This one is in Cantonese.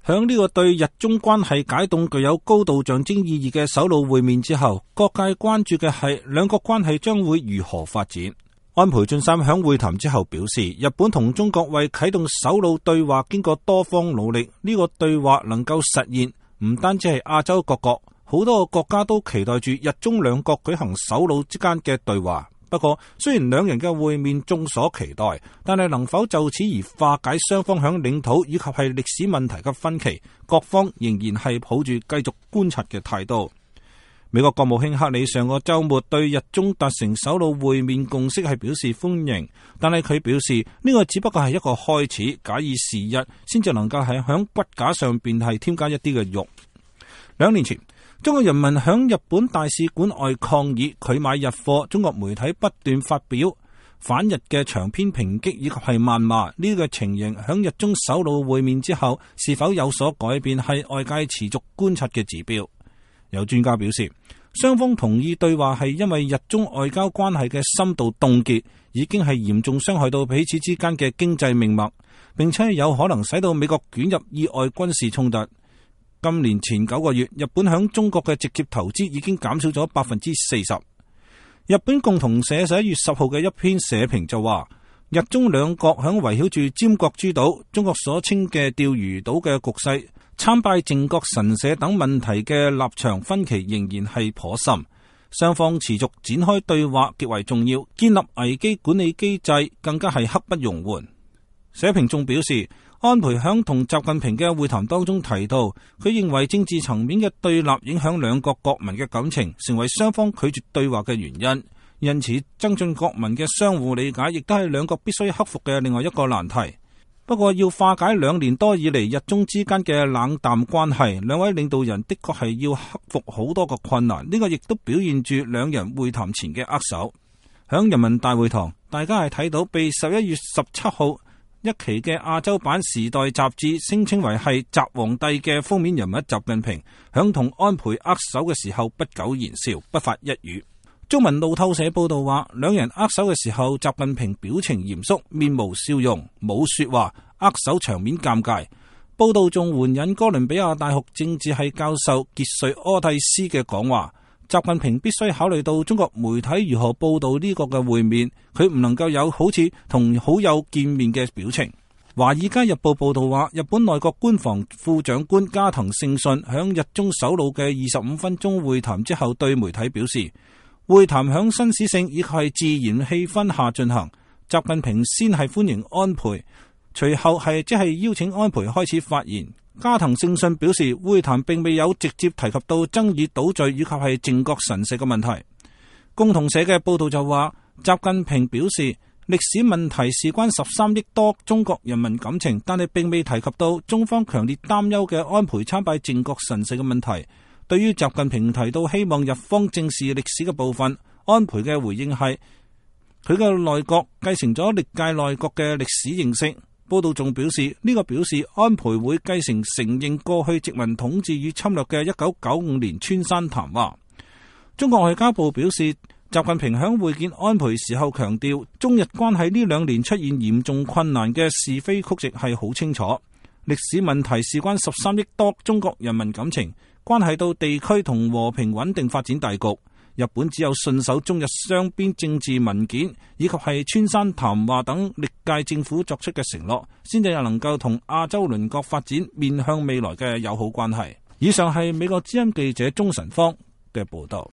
響呢個對日中關係解凍具有高度象徵意義嘅首腦會面之後，各界關注嘅係兩國關係將會如何發展。安倍晉三響會談之後表示，日本同中國為啟動首腦對話經過多方努力，呢個對話能夠實現，唔單止係亞洲各國，好多個國家都期待住日中兩國舉行首腦之間嘅對話。不過，雖然兩人嘅會面眾所期待，但係能否就此而化解雙方響領土以及係歷史問題嘅分歧，各方仍然係抱住繼續觀察嘅態度。美國國務卿克里上個週末對日中達成首腦會面共識係表示歡迎，但係佢表示呢個只不過係一個開始，假以時日先至能夠係響骨架上邊係添加一啲嘅肉。2年前，中國人民響日本大使館外抗議拒買日貨，中國媒體不斷發表反日嘅長篇抨擊以及係謾罵，呢個情形響日中首腦會面之後是否有所改變，係外界持續觀察嘅指標。有專家表示，雙方同意對話係因為日中外交關係嘅深度凍結已經係嚴重傷害到彼此之間嘅經濟命脈，並且有可能使到美國捲入意外軍事衝突。今年前9個月，日本響中國嘅直接投資已經減少咗40%。日本共同社11月10號嘅一篇社評就話，日中兩國響圍繞住尖閣諸島、中國所稱嘅釣魚島嘅局勢、參拜靖國神社等問題嘅立場分歧仍然係頗深，雙方持續展開對話極為重要，建立危機管理機制更加係刻不容緩。社評仲表示，安倍響同習近平嘅會談當中提到，佢認為政治層面嘅對立影響兩國國民嘅感情，成為雙方拒絕對話嘅原因。因此，增進國民嘅相互理解，亦都係兩國必須克服嘅另外一個難題。不過，要化解2年多以嚟日中之間嘅冷淡關係，兩位領導人的確係要克服好多個困難。呢個亦都表現住兩人會談前嘅握手。響人民大會堂，大家係睇到被11月17號一期嘅亞洲版《時代》雜誌聲稱為係習皇帝嘅封面人物習近平，響同安倍握手嘅時候不苟言笑，不發一語。中文路透社報道話，兩人握手嘅時候，習近平表情嚴肅，面無笑容，冇說話，握手場面尷尬。報道仲援引哥倫比亞大學政治系教授傑瑞柯蒂斯嘅講話，習近平必須考慮到中國媒體如何報道呢個嘅會面，佢唔能夠有好似同好友見面嘅表情。華爾街日報報道話，日本內閣官房副長官加藤勝信響日中首腦嘅25分鐘會談之後對媒體表示，會談響紳士性以及係自然氣氛下進行，習近平先係歡迎安倍，隨後係即係邀請安倍開始發言。加藤勝信表示，會談並未有直接提及到爭議島嶼以及係靖國神社嘅問題。共同社嘅報道就話，習近平表示歷史問題事關13億多中國人民感情，但係並未提及到中方強烈擔憂嘅安倍參拜靖國神社嘅問題。對於習近平提到希望日方正視歷史嘅部分，安倍嘅回應係佢嘅內閣繼承咗歷屆內閣嘅歷史認識。報道仲表示，呢個表示安倍會繼承認過去殖民統治與侵略嘅1995年川山談話。中國外交部表示，習近平響會見安倍時候強調，中日關係呢2年出現嚴重困難嘅是非曲直係好清楚。歷史問題事關13億多中國人民感情，關係到地區同和平穩定發展大局。日本只有信守中日雙邊政治文件以及係川山談話等歷屆政府作出嘅承諾，先至能夠同亞洲鄰國發展面向未來嘅友好關係。以上係美國之音記者鍾晨芳嘅報道。